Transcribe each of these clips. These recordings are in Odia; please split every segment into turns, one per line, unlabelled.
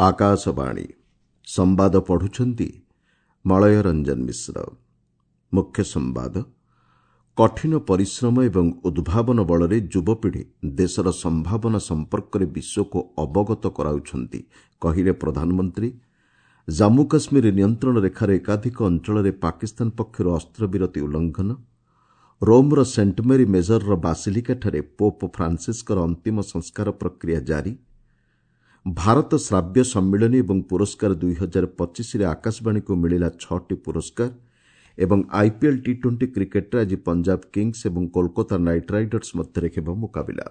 ଆକାଶବାଣୀ ସମ୍ବାଦ ପଢୁଛନ୍ତି ମଳୟ ରଞ୍ଜନ ମିଶ୍ର। ମୁଖ୍ୟ ସମ୍ବାଦ। କଠିନ ପରିଶ୍ରମ ଏବଂ ଉଦ୍ଭାବନ ବଳରେ ଯୁବପିଢ଼ି ଦେଶର ସମ୍ଭାବନା ସମ୍ପର୍କରେ ବିଶ୍ୱକୁ ଅବଗତ କରାଉଛନ୍ତି, କହିଲେ ପ୍ରଧାନମନ୍ତ୍ରୀ। ଜାମ୍ମୁ କାଶ୍ମୀର ନିୟନ୍ତ୍ରଣ ରେଖାର ଏକାଧିକ ଅଞ୍ଚଳରେ ପାକିସ୍ତାନ ପକ୍ଷରୁ ଅସ୍ତ୍ରବିରତି ଉଲ୍ଲଂଘନ। ରୋମ୍ର ସେଣ୍ଟମେରୀ ମେଜରର ବାସିଲିକାଠାରେ ପୋପ୍ ଫ୍ରାନ୍ସିସ୍ଙ୍କର ଅନ୍ତିମ ସଂସ୍କାର ପ୍ରକ୍ରିୟା ଜାରି। ଭାରତ ଶ୍ରାବ୍ୟ ସମ୍ମିଳନୀ ଏବଂ ପୁରସ୍କାର 2025ରେ ଆକାଶବାଣୀକୁ ମିଳିଲା ଛଅଟି ପୁରସ୍କାର ଏବଂ ଆଇପିଏଲ୍ ଟି ଟ୍ୱେଣ୍ଟି କ୍ରିକେଟ୍ରେ ଆଜି ପଞ୍ଜାବ କିଙ୍ଗସ୍ ଏବଂ କୋଲକାତା ନାଇଟ୍ ରାଇଡର୍ସ ମଧ୍ୟରେ ହେବ ମୁକାବିଲା।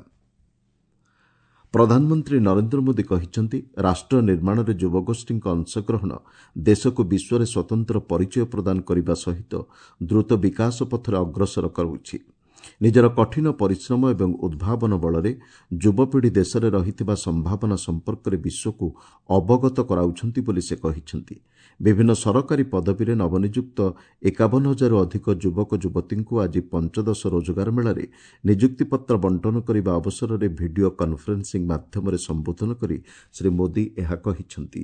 ପ୍ରଧାନମନ୍ତ୍ରୀ ନରେନ୍ଦ୍ର ମୋଦି କହିଛନ୍ତି, ରାଷ୍ଟ୍ର ନିର୍ମାଣରେ ଯୁବଗୋଷ୍ଠୀଙ୍କ ଅଂଶଗ୍ରହଣ ଦେଶକୁ ବିଶ୍ୱରେ ସ୍ୱତନ୍ତ୍ର ପରିଚୟ ପ୍ରଦାନ କରିବା ସହିତ ଦ୍ରୁତ ବିକାଶ ପଥରେ ଅଗ୍ରସର କରାଉଛି। ନିଜର କଠିନ ପରିଶ୍ରମ ଏବଂ ଉଦ୍ଭାବନ ବଳରେ ଯୁବପିଢ଼ି ଦେଶରେ ରହିଥିବା ସମ୍ଭାବନା ସମ୍ପର୍କରେ ବିଶ୍ୱକୁ ଅବଗତ କରାଉଛନ୍ତି ବୋଲି ସେ କହିଛନ୍ତି। ବିଭିନ୍ନ ସରକାରୀ ପଦବୀରେ ନବନିଯୁକ୍ତ 51 ହଜାରରୁ ଅଧିକ ଯୁବକ ଯୁବତୀଙ୍କୁ ଆଜି ପଞ୍ଚଦଶ ରୋଜଗାର ମେଳାରେ ନିଯୁକ୍ତିପତ୍ର ବଣ୍ଟନ କରିବା ଅବସରରେ ଭିଡ଼ିଓ କନ୍ଫରେନ୍ସିଂ ମାଧ୍ୟମରେ ସମ୍ବୋଧନ କରି ଶ୍ରୀ ମୋଦି ଏହା କହିଛନ୍ତି।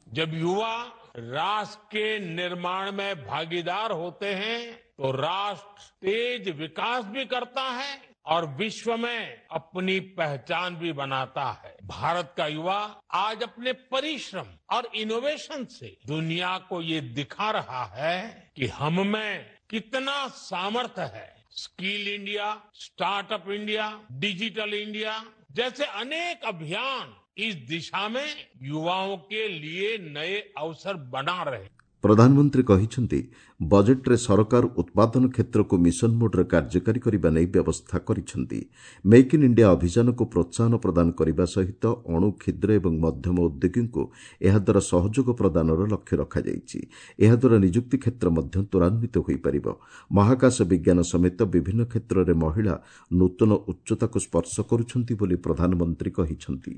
जब युवा राष्ट्र के निर्माण में भागीदार होते हैं, तो राष्ट्र तेज विकास भी करता है और विश्व में अपनी पहचान भी बनाता है। भारत का युवा आज अपने परिश्रम और इनोवेशन से दुनिया को ये दिखा रहा है कि हम में कितना सामर्थ्य है। Skill India, startup India, digital India जैसे अनेक अभियान इस दिशा में युवाओं के लिए नए अवसर बना रहे हैं।
ପ୍ରଧାନମନ୍ତ୍ରୀ କହିଛନ୍ତି, ବଜେଟ୍ରେ ସରକାର ଉତ୍ପାଦନ କ୍ଷେତ୍ରକୁ ମିଶନ ମୋଡ୍ରେ କାର୍ଯ୍ୟକାରୀ କରିବା ନେଇ ବ୍ୟବସ୍ଥା କରିଛନ୍ତି। ମେକ୍ ଇନ୍ ଇଣ୍ଡିଆ ଅଭିଯାନକୁ ପ୍ରୋତ୍ସାହନ ପ୍ରଦାନ କରିବା ସହିତ ଅଣୁ, କ୍ଷୁଦ୍ର ଏବଂ ମଧ୍ୟମ ଉଦ୍ୟୋଗୀଙ୍କୁ ଏହାଦ୍ୱାରା ସହଯୋଗ ପ୍ରଦାନର ଲକ୍ଷ୍ୟ ରଖାଯାଇଛି। ଏହାଦ୍ୱାରା ନିଯୁକ୍ତି କ୍ଷେତ୍ର ମଧ୍ୟ ତ୍ୱରାନ୍ୱିତ ହୋଇପାରିବ। ମହାକାଶ ବିଜ୍ଞାନ ସମେତ ବିଭିନ୍ନ କ୍ଷେତ୍ରରେ ମହିଳା ନୂତନ ଉଚ୍ଚତାକୁ ସ୍ପର୍ଶ କରୁଛନ୍ତି ବୋଲି ପ୍ରଧାନମନ୍ତ୍ରୀ କହିଛନ୍ତି।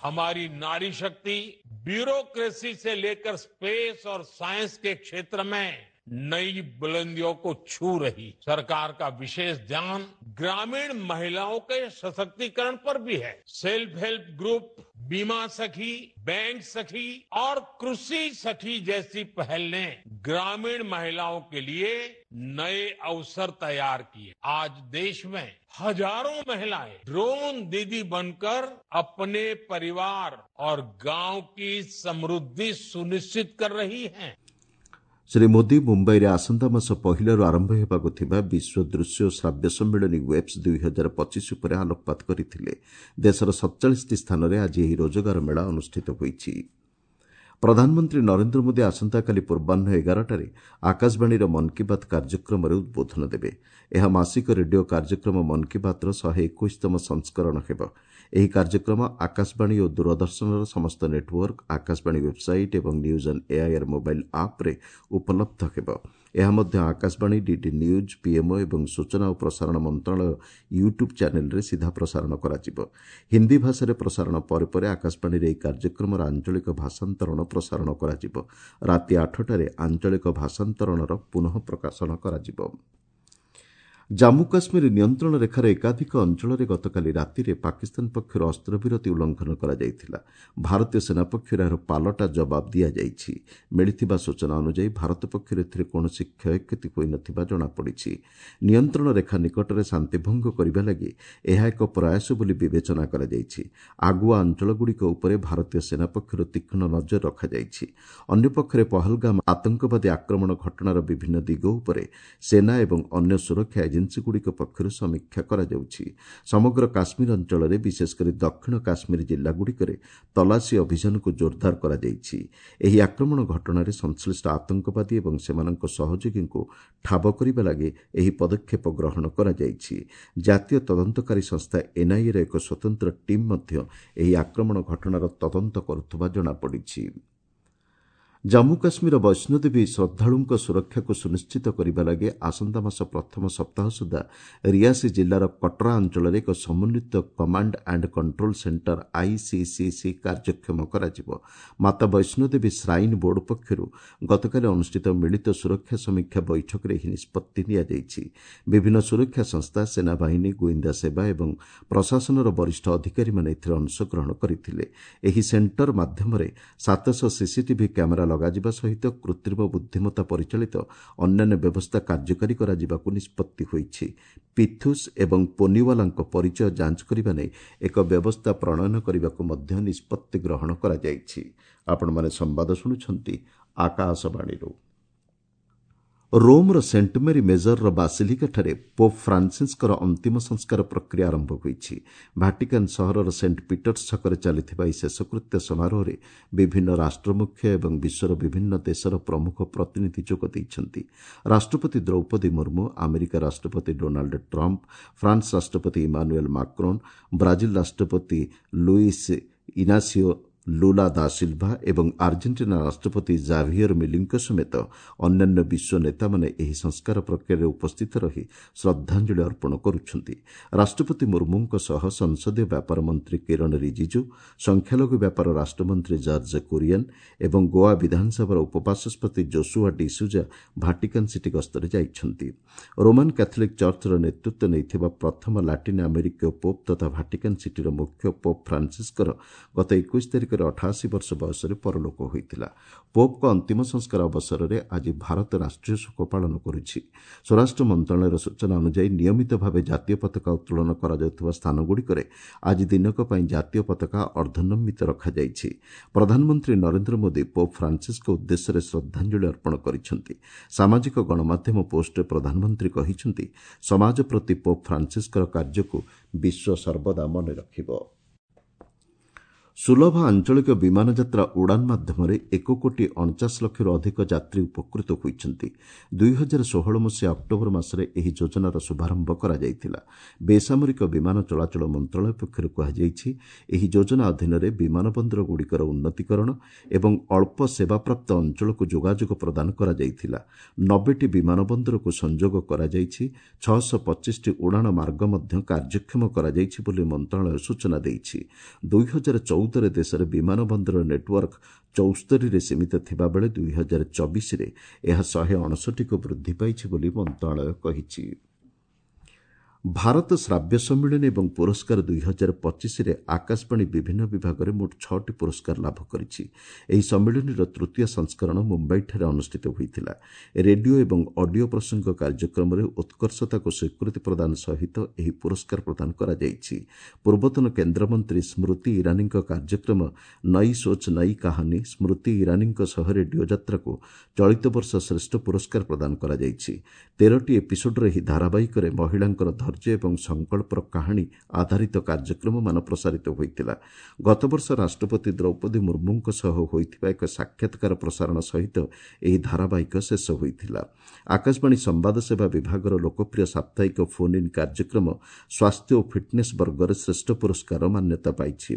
हमारी नारी शक्ति ब्यूरोक्रेसी से लेकर स्पेस और साइंस के क्षेत्र में नई बुलंदियों को छू रही। सरकार का विशेष ध्यान ग्रामीण महिलाओं के सशक्तिकरण पर भी है। सेल्फ हेल्प ग्रुप, बीमा सखी, बैंक सखी और कृषि सखी जैसी पहल ने ग्रामीण महिलाओं के लिए नए अवसर तैयार किए। आज देश में हजारों महिलाएं ड्रोन दीदी बनकर अपने परिवार और गांव की समृद्धि सुनिश्चित कर रही हैं।
ଶ୍ରୀ ମୋଦି ମୁମ୍ବାଇରେ ଆସନ୍ତା ମାସ ପହିଲାରୁ ଆରମ୍ଭ ହେବାକୁ ଥିବା ବିଶ୍ୱ ଦୃଶ୍ୟ ଓ ଶ୍ରାବ୍ୟ ସମ୍ମିଳନୀ ୱେବ୍ସ 2025 ଉପରେ ଆଲୋକପାତ କରିଥିଲେ। ଦେଶର 47ଟି ସ୍ଥାନରେ ଆଜି ଏହି ରୋଜଗାର ମେଳା ଅନୁଷ୍ଠିତ ହୋଇଛି। ପ୍ରଧାନମନ୍ତ୍ରୀ ନରେନ୍ଦ୍ର ମୋଦି ଆସନ୍ତାକାଲି ପୂର୍ବାହ୍ନ 11ଟାରେ ଆକାଶବାଣୀର ମନ୍ କି ବାତ୍ କାର୍ଯ୍ୟକ୍ରମରେ ଉଦ୍ବୋଧନ ଦେବେ। ଏହା ମାସିକ ରେଡିଓ କାର୍ଯ୍ୟକ୍ରମ ମନ୍ କି ବାତ୍ର 121ତମ ସଂସ୍କରଣ ହେବ। ଏହି କାର୍ଯ୍ୟକ୍ରମ ଆକାଶବାଣୀ ଓ ଦୂରଦର୍ଶନର ସମସ୍ତ ନେଟୱାର୍କ, ଆକାଶବାଣୀ ୱେବ୍ସାଇଟ୍ ଏବଂ ନ୍ୟୁଜ୍ ଅନ୍ ଏଆଇଆର୍ ମୋବାଇଲ୍ ଆପ୍ରେ ଉପଲବ୍ଧ ହେବ। ଏହା ମଧ୍ୟ ଆକାଶବାଣୀ, ଡିଡି ନ୍ୟୁଜ୍, ପିଏମ୍ଓ ଏବଂ ସୂଚନା ଓ ପ୍ରସାରଣ ମନ୍ତ୍ରଣାଳୟ ୟୁଟ୍ୟୁବ୍ ଚ୍ୟାନେଲ୍ରେ ସିଧା ପ୍ରସାରଣ କରାଯିବ। ହିନ୍ଦୀ ଭାଷାରେ ପ୍ରସାରଣ ପରେ ପରେ ଆକାଶବାଣୀରେ ଏହି କାର୍ଯ୍ୟକ୍ରମର ଆଞ୍ଚଳିକ ଭାଷାନ୍ତରଣ ପ୍ରସାରଣ କରାଯିବ। ରାତି 8ଟାରେ ଆଞ୍ଚଳିକ ଭାଷାନ୍ତରଣର ପୁନଃ ପ୍ରକାଶନ କରାଯିବ। ଜାମ୍ମୁ କାଶ୍ମୀର ନିୟନ୍ତ୍ରଣ ରେଖାର ଏକାଧିକ ଅଞ୍ଚଳରେ ଗତକାଲି ରାତିରେ ପାକିସ୍ତାନ ପକ୍ଷରୁ ଅସ୍ତ୍ରବିରତି ଉଲ୍ଲଂଘନ କରାଯାଇଥିଲା। ଭାରତୀୟ ସେନା ପକ୍ଷରୁ ଏହାର ପାଲଟା ଜବାବ ଦିଆଯାଇଛି। ମିଳିଥିବା ସୂଚନା ଅନୁଯାୟୀ, ଭାରତ ପକ୍ଷରୁ ଏଥିରେ କୌଣସି କ୍ଷୟକ୍ଷତି ହୋଇନଥିବା ଜଣାପଡ଼ିଛି। ନିୟନ୍ତ୍ରଣ ରେଖା ନିକଟରେ ଶାନ୍ତିଭଙ୍ଗ କରିବା ଲାଗି ଏହା ଏକ ପ୍ରୟାସ ବୋଲି ବିବେଚନା କରାଯାଇଛି। ଆଗୁଆ ଅଞ୍ଚଳଗୁଡ଼ିକ ଉପରେ ଭାରତୀୟ ସେନା ପକ୍ଷରୁ ତୀକ୍ଷ୍ଣ ନଜର ରଖାଯାଇଛି। ଅନ୍ୟପକ୍ଷରେ ପହଲଗାମ ଆତଙ୍କବାଦୀ ଆକ୍ରମଣ ଘଟଣାର ବିଭିନ୍ନ ଦିଗ ଉପରେ ସେନା ଏବଂ ଅନ୍ୟ ସୁରକ୍ଷା ଏଜେନ୍ସିଗୁଡ଼ିକ ପକ୍ଷରୁ ସମୀକ୍ଷା କରାଯାଉଛି। ସମଗ୍ର କାଶ୍ମୀର ଅଞ୍ଚଳରେ, ବିଶେଷକରି ଦକ୍ଷିଣ କାଶ୍ମୀର ଜିଲ୍ଲାଗୁଡ଼ିକରେ ତଲାସୀ ଅଭିଯାନକୁ ଜୋରଦାର କରାଯାଇଛି। ଏହି ଆକ୍ରମଣ ଘଟଣାରେ ସଂଶ୍ଳିଷ୍ଟ ଆତଙ୍କବାଦୀ ଏବଂ ସେମାନଙ୍କ ସହଯୋଗୀଙ୍କୁ ଠାବ କରିବା ଲାଗି ଏହି ପଦକ୍ଷେପ ଗ୍ରହଣ କରାଯାଇଛି। ଜାତୀୟ ତଦନ୍ତକାରୀ ସଂସ୍ଥା ଏନ୍ଆଇଏର ଏକ ସ୍ୱତନ୍ତ୍ର ଟିମ୍ ମଧ୍ୟ ଏହି ଆକ୍ରମଣ ଘଟଣାର ତଦନ୍ତ କରୁଥିବା ଜଣାପଡ଼ିଛି। ଜାମ୍ମୁ କାଶ୍ମୀର ବୈଷ୍ଣୋଦେବୀ ଶ୍ରଦ୍ଧାଳୁଙ୍କ ସୁରକ୍ଷାକୁ ସୁନିଶ୍ଚିତ କରିବା ଲାଗି ଆସନ୍ତା ମାସ ପ୍ରଥମ ସପ୍ତାହ ସୁଦ୍ଧା ରିଆସି ଜିଲ୍ଲାର କଟରା ଅଞ୍ଚଳରେ ଏକ ସମନ୍ୱିତ command and control centre ICCC କାର୍ଯ୍ୟକ୍ଷମ କରାଯିବ। ମାତା ବୈଷ୍ଣୋଦେବୀ ଶ୍ରାଇନ୍ ବୋର୍ଡ ପକ୍ଷରୁ ଗତକାଲି ଅନୁଷ୍ଠିତ ମିଳିତ ସୁରକ୍ଷା ସମୀକ୍ଷା ବୈଠକରେ ଏହି ନିଷ୍ପତ୍ତି ନିଆଯାଇଛି। ବିଭିନ୍ନ ସୁରକ୍ଷା ସଂସ୍ଥା, ସେନାବାହିନୀ, ଗୁଇନ୍ଦା ସେବା ଏବଂ ପ୍ରଶାସନର ବରିଷ୍ଠ ଅଧିକାରୀମାନେ ଏଥିରେ ଅଂଶଗ୍ରହଣ କରିଥିଲେ। ଏହି ସେଣ୍ଟର ମାଧ୍ୟମରେ 700 ସିସିଟିଭି କ୍ୟାମେରା ଲଗାଯିବା ସହିତ କୃତ୍ରିମ ବୁଦ୍ଧିମତ୍ତା ପରିଚାଳିତ ଅନ୍ୟାନ୍ୟ ବ୍ୟବସ୍ଥା କାର୍ଯ୍ୟକାରୀ କରାଯିବାକୁ ନିଷ୍ପତ୍ତି ହୋଇଛି। ପିଥୁସ୍ ଏବଂ ପୋନିୱାଲାଙ୍କ ପରିଚୟ ଯାଞ୍ଚ କରିବା ନେଇ ଏକ ବ୍ୟବସ୍ଥା ପ୍ରଣୟନ କରିବାକୁ ମଧ୍ୟ ନିଷ୍ପତ୍ତି ଗ୍ରହଣ କରାଯାଇଛି। ଆପଣମାନେ ସମ୍ବାଦ ଶୁଣୁଛନ୍ତି ଆକାଶବାଣୀରୁ। ରୋମ୍ର ସେଣ୍ଟ ମେରି ମେଜରର ବାସିଲିକାଠାରେ ପୋପ୍ ଫ୍ରାନ୍ସିସ୍ଙ୍କର ଅନ୍ତିମ ସଂସ୍କାର ପ୍ରକ୍ରିୟା ଆରମ୍ଭ ହୋଇଛି। ଭାଟିକାନ୍ ସହରର ସେଣ୍ଟ ପିଟର୍ସ ଛକରେ ଚାଲିଥିବା ଏହି ଶେଷକୃତ୍ୟ ସମାରୋହରେ ବିଭିନ୍ନ ରାଷ୍ଟ୍ରମୁଖ୍ୟ ଏବଂ ବିଶ୍ୱର ବିଭିନ୍ନ ଦେଶର ପ୍ରମୁଖ ପ୍ରତିନିଧି ଯୋଗ ଦେଇଛନ୍ତି। ରାଷ୍ଟ୍ରପତି ଦ୍ରୌପଦୀ ମୁର୍ମୁ, ଆମେରିକା ରାଷ୍ଟ୍ରପତି ଡୋନାଲ୍ଡ ଟ୍ରମ୍ପ, ଫ୍ରାନ୍ସ ରାଷ୍ଟ୍ରପତି ଇମାନୁଏଲ୍ ମାକ୍ରୋନ୍, ବ୍ରାଜିଲ ରାଷ୍ଟ୍ରପତି ଲୁଇସ୍ ଇନାସିଓ ଲୁଲା ଦା ସିଲ୍ଭା ଏବଂ ଆର୍ଜେଣ୍ଟିନା ରାଷ୍ଟ୍ରପତି ଜାଭିୟର ମିଲିଙ୍କ ସମେତ ଅନ୍ୟାନ୍ୟ ବିଶ୍ୱ ନେତାମାନେ ଏହି ସଂସ୍କାର ପ୍ରକ୍ରିୟାରେ ଉପସ୍ଥିତ ରହି ଶ୍ରଦ୍ଧାଞ୍ଜଳି ଅର୍ପଣ କରୁଛନ୍ତି। ରାଷ୍ଟ୍ରପତି ମୁର୍ମୁଙ୍କ ସହ ସଂସଦୀୟ ବ୍ୟାପାର ମନ୍ତ୍ରୀ କିରଣ ରିଜିଜୁ, ସଂଖ୍ୟାଲଘୁ ବ୍ୟାପାର ରାଷ୍ଟ୍ରମନ୍ତ୍ରୀ ଜର୍ଜ କୁରିଏନ୍ ଏବଂ ଗୋଆ ବିଧାନସଭାର ଉପବାଚସ୍ପତି ଜୋସୁଆ ଡିସୁଜା ଭାଟିକାନ୍ ସିଟି ଗସ୍ତରେ ଯାଇଛନ୍ତି। ରୋମାନ୍ କ୍ୟାଥୋଲିକ୍ ଚର୍ଚ୍ଚର ନେତୃତ୍ୱ ନେଇଥିବା ପ୍ରଥମ ଲାଟିନ୍ ଆମେରିକୀୟ ପୋପ୍ ତଥା ଭାଟିକାନ୍ ସିଟିର ମୁଖ୍ୟ ପୋପ୍ ଫ୍ରାନ୍ସିସ୍ଙ୍କର ଗତ 21 ତାରିଖରେ 88 ବର୍ଷ ବୟସରେ ପରଲୋକ ହୋଇଥିଲା। ପୋପ୍ଙ୍କ ଅନ୍ତିମ ସଂସ୍କାର ଅବସରରେ ଆଜି ଭାରତ ରାଷ୍ଟ୍ରୀୟ ଶୋକ ପାଳନ କରୁଛି। ସ୍ୱରାଷ୍ଟ୍ର ମନ୍ତ୍ରଣାଳୟର ସୂଚନା ଅନୁଯାୟୀ ନିୟମିତ ଭାବେ ଜାତୀୟ ପତାକା ଉତ୍ତୋଳନ କରାଯାଉଥିବା ସ୍ଥାନଗୁଡ଼ିକରେ ଆଜି ଦିନକ ପାଇଁ ଜାତୀୟ ପତାକା ଅର୍ଦ୍ଧନମିତ ରଖାଯାଇଛି। ପ୍ରଧାନମନ୍ତ୍ରୀ ନରେନ୍ଦ୍ର ମୋଦି ପୋପ୍ ଫ୍ରାନ୍ସିସ୍ଙ୍କ ଉଦ୍ଦେଶ୍ୟରେ ଶ୍ରଦ୍ଧାଞ୍ଜଳି ଅର୍ପଣ କରିଛନ୍ତି। ସାମାଜିକ ଗଣମାଧ୍ୟମ ପୋଷ୍ଟରେ ପ୍ରଧାନମନ୍ତ୍ରୀ କହିଛନ୍ତି, ସମାଜ ପ୍ରତି ପୋପ୍ ଫ୍ରାନ୍ସିସ୍ଙ୍କର କାର୍ଯ୍ୟକୁ ବିଶ୍ୱ ସର୍ବଦା ମନେ ରଖିବ। ସୁଲଭ ଆଞ୍ଚଳିକ ବିମାନ ଯାତ୍ରା ଉଡ଼ାନ୍ ମାଧ୍ୟମରେ 1 କୋଟି 49 ଲକ୍ଷରୁ ଅଧିକ ଯାତ୍ରୀ ଉପକୃତ ହୋଇଛନ୍ତି। 2016 ମସିହା ଅକ୍ଟୋବର ମାସରେ ଏହି ଯୋଜନାର ଶୁଭାରମ୍ଭ କରାଯାଇଥିଲା। ବେସାମରିକ ବିମାନ ଚଳାଚଳ ମନ୍ତ୍ରଣାଳୟ ପକ୍ଷରୁ କୁହାଯାଇଛି, ଏହି ଯୋଜନା ଅଧୀନରେ ବିମାନ ବନ୍ଦରଗୁଡ଼ିକର ଉନ୍ନତିକରଣ ଏବଂ ଅଳ୍ପ ସେବାପ୍ରାପ୍ତ ଅଞ୍ଚଳକୁ ଯୋଗାଯୋଗ ପ୍ରଦାନ କରାଯାଇଥିଲା। 90ଟି ବିମାନ ବନ୍ଦରକୁ ସଂଯୋଗ କରାଯାଇଛି। 625ଟି ଉଡ଼ାଣ ମାର୍ଗ ମଧ୍ୟ କାର୍ଯ୍ୟକ୍ଷମ କରାଯାଇଛି ବୋଲି ମନ୍ତ୍ରଣାଳୟ ସୂଚନା ଦେଇଛି। 2014ରେ ଦେଶରେ ବିମାନ ବନ୍ଦର ନେଟୱାର୍କ 74ରେ ସୀମିତ ଥିବାବେଳେ 2024ରେ ଏହା 159କୁ ବୃଦ୍ଧି ପାଇଛି ବୋଲି ମନ୍ତ୍ରଣାଳୟ କହିଛି। ଭାରତ ଶ୍ରାବ୍ୟ ସମ୍ମିଳନୀ ଏବଂ ପୁରସ୍କାର 2025ରେ ଆକାଶବାଣୀ ବିଭିନ୍ନ ବିଭାଗରେ ମୋଟ 6ଟି ପୁରସ୍କାର ଲାଭ କରିଛି। ଏହି ସମ୍ମିଳନୀର ତୃତୀୟ ସଂସ୍କରଣ ମୁମ୍ବାଇଠାରେ ଅନୁଷ୍ଠିତ ହୋଇଥିଲା। ରେଡିଓ ଏବଂ ଅଡିଓ ପ୍ରସଙ୍ଗ କାର୍ଯ୍ୟକ୍ରମରେ ଉତ୍କର୍ଷତାକୁ ସ୍ୱୀକୃତି ପ୍ରଦାନ ସହିତ ଏହି ପୁରସ୍କାର ପ୍ରଦାନ କରାଯାଇଛି। ପୂର୍ବତନ କେନ୍ଦ୍ରମନ୍ତ୍ରୀ ସ୍ମୃତି ଇରାନୀଙ୍କ କାର୍ଯ୍ୟକ୍ରମ ନଇ ସୋଚ୍ ନଇ କାହାନୀ ସ୍ମୃତି ଇରାନୀଙ୍କ ସହ ରେଡିଓ ଯାତ୍ରାକୁ ଚଳିତ ବର୍ଷ ଶ୍ରେଷ୍ଠ ପୁରସ୍କାର ପ୍ରଦାନ କରାଯାଇଛି। 13ଟି ଏପିସୋଡ୍ର ଏହି ଧାରାବାହିକରେ ମହିଳାଙ୍କର ଧୈର୍ଯ୍ୟ ଏବଂ ସଂକଳ୍ପର କାହାଣୀ ଆଧାରିତ କାର୍ଯ୍ୟକ୍ରମମାନ ପ୍ରସାରିତ ହୋଇଥିଲା। ଗତବର୍ଷ ରାଷ୍ଟ୍ରପତି ଦ୍ରୌପଦୀ ମୁର୍ମୁଙ୍କ ସହ ହୋଇଥିବା ଏକ ସାକ୍ଷାତକାର ପ୍ରସାରଣ ସହିତ ଏହି ଧାରାବାହିକ ଶେଷ ହୋଇଥିଲା। ଆକାଶବାଣୀ ସମ୍ବାଦ ସେବା ବିଭାଗର ଲୋକପ୍ରିୟ ସାପ୍ତାହିକ ଫୋନ୍ ଇନ୍ କାର୍ଯ୍ୟକ୍ରମ ସ୍ୱାସ୍ଥ୍ୟ ଓ ଫିଟ୍ନେସ୍ ବର୍ଗରେ ଶ୍ରେଷ୍ଠ ପୁରସ୍କାର ମାନ୍ୟତା ପାଇଛି।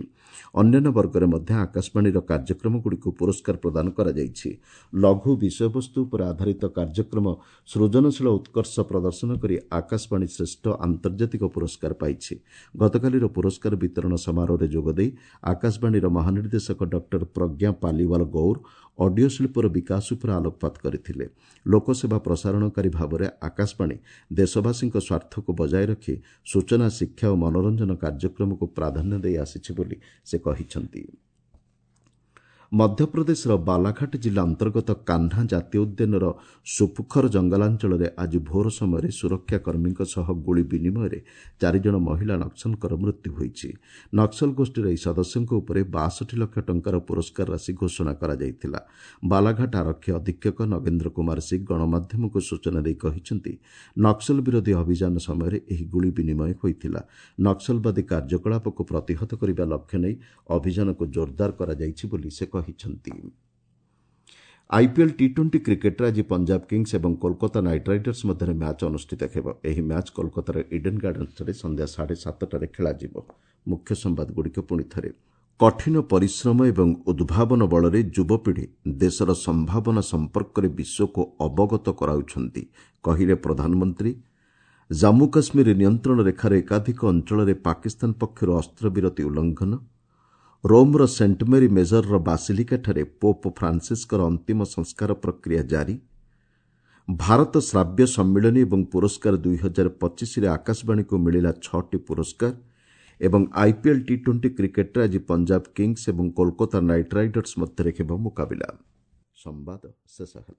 ଅନ୍ୟାନ୍ୟ ବର୍ଗରେ ମଧ୍ୟ ଆକାଶବାଣୀର କାର୍ଯ୍ୟକ୍ରମଗୁଡ଼ିକୁ ପୁରସ୍କାର ପ୍ରଦାନ କରାଯାଇଛି। ଲଘୁ ବିଷୟବସ୍ତୁ ଉପରେ ଆଧାରିତ କାର୍ଯ୍ୟକ୍ରମ ସୃଜନଶୀଳ ଉତ୍କର୍ଷ ପ୍ରଦର୍ଶନ କରି ଆକାଶବାଣୀ ଶ୍ରେଷ୍ଠ ଆନ୍ତର୍ଜାତିକ ପୁରସ୍କାର ପାଇଛି। ଗତକାଲିର ପୁରସ୍କାର ବିତରଣ ସମାରୋହରେ ଯୋଗଦେଇ ଆକାଶବାଣୀର ମହାନିର୍ଦ୍ଦେଶକ ଡକ୍ଟର ପ୍ରଜ୍ଞା ପାଲିୱାଲ ଗୌର ଅଡିଓ ଶିଳ୍ପର ବିକାଶ ଉପରେ ଆଲୋକପାତ କରିଥିଲେ। ଲୋକସେବା ପ୍ରସାରଣକାରୀ ଭାବରେ ଆକାଶବାଣୀ ଦେଶବାସୀଙ୍କ ସ୍ୱାର୍ଥକୁ ବଜାୟ ରଖି ସୂଚନା, ଶିକ୍ଷା ଓ ମନୋରଞ୍ଜନ କାର୍ଯ୍ୟକ୍ରମକୁ ପ୍ରାଧାନ୍ୟ ଦେଇ ଆସିଛି ବୋଲି ସେ କହିଛନ୍ତି। ମଧ୍ୟପ୍ରଦେଶର ବାଲାଘାଟ ଜିଲ୍ଲା ଅନ୍ତର୍ଗତ କାହ୍ନା ଜାତୀୟ ଉଦ୍ୟାନର ସୁପୁଖର ଜଙ୍ଗଲାଞ୍ଚଳରେ ଆଜି ଭୋର ସମୟରେ ସୁରକ୍ଷାକର୍ମୀଙ୍କ ସହ ଗୁଳି ବିନିମୟରେ 4 ଜଣ ମହିଳା ନକ୍ସଲଙ୍କର ମୃତ୍ୟୁ ହୋଇଛି। ନକ୍ସଲ ଗୋଷ୍ଠୀର ଏହି ସଦସ୍ୟଙ୍କ ଉପରେ 62 ଲକ୍ଷ ଟଙ୍କାର ପୁରସ୍କାର ରାଶି ଘୋଷଣା କରାଯାଇଥିଲା। ବାଲାଘାଟ ଆରକ୍ଷୀ ଅଧୀକ୍ଷକ ନଗେନ୍ଦ୍ର କୁମାର ସିଂ ଗଣମାଧ୍ୟମକୁ ସୂଚନା ଦେଇ କହିଛନ୍ତି, ନକ୍ସଲ ବିରୋଧୀ ଅଭିଯାନ ସମୟରେ ଏହି ଗୁଳି ବିନିମୟ ହୋଇଥିଲା। ନକ୍ସଲବାଦୀ କାର୍ଯ୍ୟକଳାପକୁ ପ୍ରତିହତ କରିବା ଲକ୍ଷ୍ୟ ନେଇ ଅଭିଯାନକୁ ଜୋରଦାର କରାଯାଇଛି ବୋଲି ସେ କହିଛନ୍ତି। ଆଇପିଏଲ୍ ଟି-20 କ୍ରିକେଟ୍ରେ ଆଜି ପଞ୍ଜାବ କିଙ୍ଗସ୍ ଏବଂ କୋଲକାତା ନାଇଟ୍ ରାଇଡର୍ସ ମଧ୍ୟରେ ମ୍ୟାଚ୍ ଅନୁଷ୍ଠିତ ହେବ। ଏହି ମ୍ୟାଚ୍ କୋଲକାତାର ଇଡେନ୍ ଗାର୍ଡନ୍ସଠାରେ ସନ୍ଧ୍ୟା 7:30ରେ ଖେଳାଯିବ। ମୁଖ୍ୟ ସମ୍ବାଦଗୁଡ଼ିକ ପୁଣି ଥରେ। କଠିନ ପରିଶ୍ରମ ଏବଂ ଉଦ୍ଭାବନ ବଳରେ ଯୁବପିଢ଼ି ଦେଶର ସମ୍ଭାବନା ସମ୍ପର୍କରେ ବିଶ୍ୱକୁ ଅବଗତ କରାଉଛନ୍ତି, କହିଲେ ପ୍ରଧାନମନ୍ତ୍ରୀ। ଜାମ୍ମୁ କାଶ୍ମୀର ନିୟନ୍ତ୍ରଣ ରେଖାର ଏକାଧିକ ଅଞ୍ଚଳରେ ପାକିସ୍ତାନ ପକ୍ଷରୁ ଅସ୍ତ୍ରବିରତି ଉଲ୍ଲଂଘନ। ରୋମ୍ର ସେଣ୍ଟ ମେରି ମେଜରର ବାସିଲିକାଠାରେ ପୋପ୍ ଫ୍ରାନ୍ସିସ୍ଙ୍କର ଅନ୍ତିମ ସଂସ୍କାର ପ୍ରକ୍ରିୟା ଜାରି। ଭାରତ ଶ୍ରାବ୍ୟ ସମ୍ମିଳନୀ ଏବଂ ପୁରସ୍କାର 2025ରେ ଆକାଶବାଣୀକୁ ମିଳିଲା 6ଟି ପୁରସ୍କାର। ଏବଂ ଆଇପିଏଲ୍ ଟି 20 କ୍ରିକେଟ୍ରେ ଆଜି ପଞ୍ଜାବ କିଙ୍ଗସ୍ ଏବଂ କୋଲକାତା ନାଇଟ୍ ରାଇଡର୍ସ ମଧ୍ୟରେ ହେବ ମୁକାବିଲା। ସମ୍ବାଦ ଶେଷ ହେଲା।